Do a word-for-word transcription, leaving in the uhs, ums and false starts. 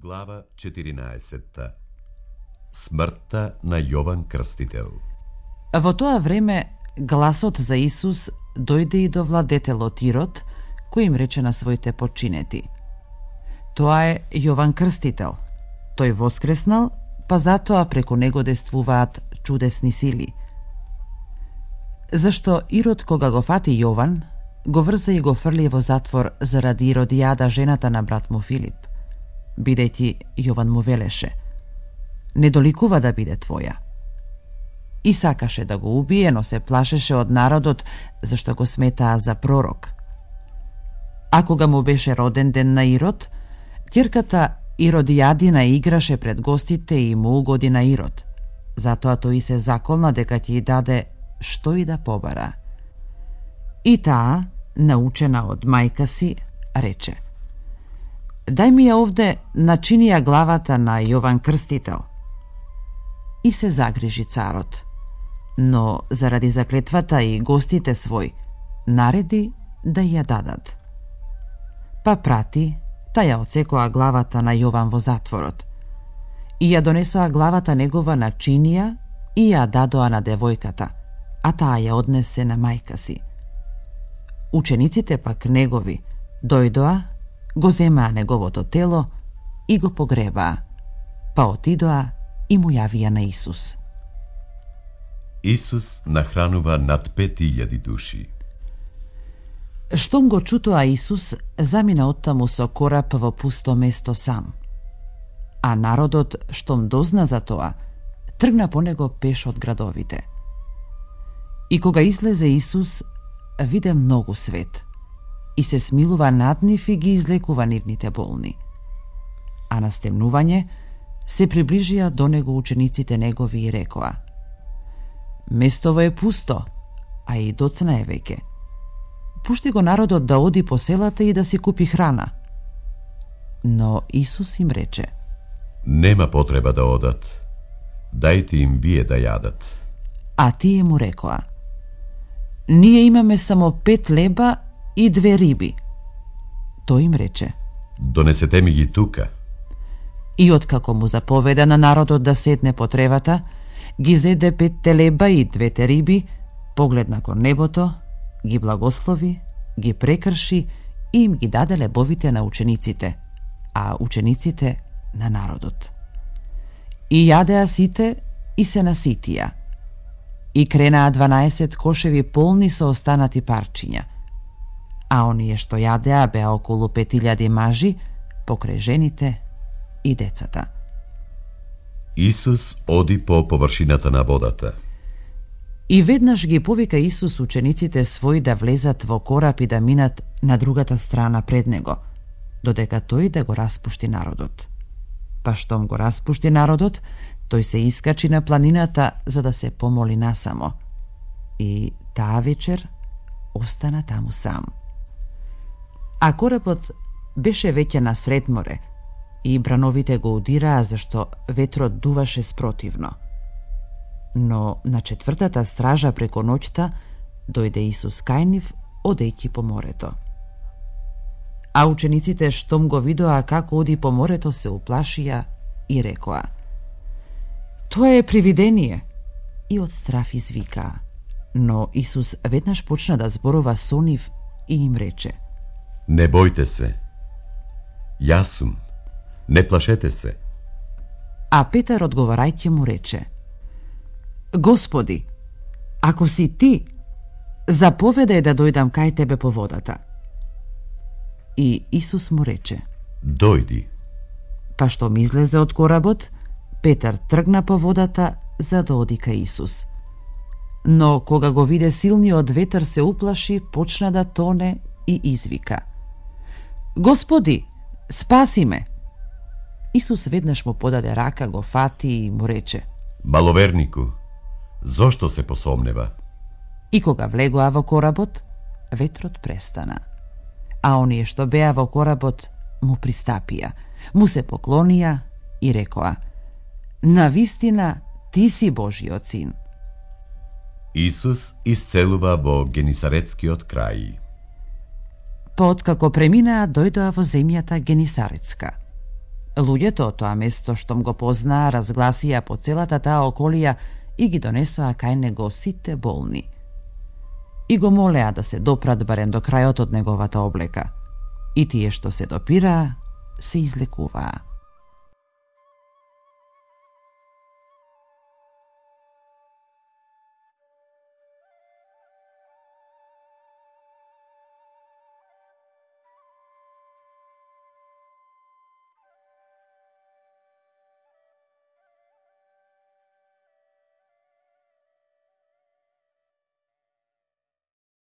Глава четиринаесетта. Смртта на Јован Крстител. Во тоа време гласот за Исус дојде и до владетелот Ирод, кој им рече на своите подчинети: тоа е Јован Крстител. Тој воскреснал, па затоа преку него действуваат чудесни сили. Зашто Ирод, кога го фати Јован, го врза и го фрли во затвор заради Иродијада, жената на брат му Филип, бидејќи Јован му велеше: не доликува да биде твоја. И сакаше да го убие, но се плашеше од народот, зашто го сметаа за пророк. А кога му беше роден ден на Ирод, ќерката Иродијадина играше пред гостите и му угоди на Ирод. Затоа тој се заколна дека ќе ја даде што и да побара. И таа, научена од мајка си, рече: дај ми ја овде, начини ја главата на Јован Крстител. И се загрижи царот, но заради заклетвата и гостите свој, нареди да ја дадат. Па прати, та ја отсекоа главата на Јован во затворот. И ја донесоа главата негова на чинија и ја дадоа на девојката, а таа ја однесе на мајка си. Учениците пак негови дојдоа, го земаа неговото тело и го погребаа, па отидоа и му јавија на Исус. Исус нахранува над пет илјади души. Штом го чутоа Исус, замина оттаму со кораб во пусто место сам. А народот, штом дозна за тоа, тргна по него пеш од градовите. И кога излезе Исус, виде многу свет и се смилува над нив и ги излекува нивните болни. А на стемнување се приближија до него учениците негови и рекоа: местово е пусто, а и доцна е веќе. Пушти го народот да оди по селата и да си купи храна. Но Исус им рече: нема потреба да одат, дајте им вие да јадат. А тие му рекоа: ние имаме само пет леба и две риби. Тој им рече: донесете ми ги тука. И откако му заповеда на народот да седне по тревата, ги зеде петте леба и двете риби, погледна кон небото, ги благослови, ги прекрши и им ги даде лебовите на учениците, а учениците на народот. И јадеа сите и се наситија. И кренаа дванаесет кошеви полни со останати парчиња. А оние што јадеа беа околу пет илјади мажи, покрај жените и децата. Исус оди по површината на водата. И веднаш ги повика Исус учениците своји да влезат во кораб и да минат на другата страна пред него, додека тој да го распушти народот. Па штом го распушти народот, тој се искачи на планината за да се помоли насамо. И таа вечер остана таму сам. А коработ беше веќе на сред море и брановите го удираа зашто ветрот дуваше спротивно. Но на четвртата стража преку ноќта дојде Исус кај нив, одејќи по морето. А учениците штом го видоа како оди по морето, се уплашија и рекоа: тоа е привидение, и од страф извикаа. Но Исус веднаш почна да зборува со нив и им рече: не бојте се, јас сум, не плашете се. А Петар одговарајќи му рече: Господи, ако си ти, заповедај да дојдам кај тебе по водата. И Исус му рече: дојди. Па штом излезе од коработ, Петар тргна по водата за да оди кај Исус. Но кога го виде силниот ветер, се уплаши, почна да тоне и извика: Господи, спаси ме! Исус веднаш му подаде рака, го фати и му рече: маловернику, зошто се посомнева? И кога влегоа во коработ, ветрот престана. А оние што беа во коработ му пристапија, му се поклонија и рекоа: навистина ти си Божиот син. Исус исцелува во Генисаретскиот крај. Па откако преминаа, дојдоа во земјата Генисаретска. Луѓето тоа место штом го познаа, разгласија по целата таа околија и ги донесоа кај него сите болни. И го молеа да се допрат барем до крајот од неговата облека. И тие што се допираа, се излекуваа.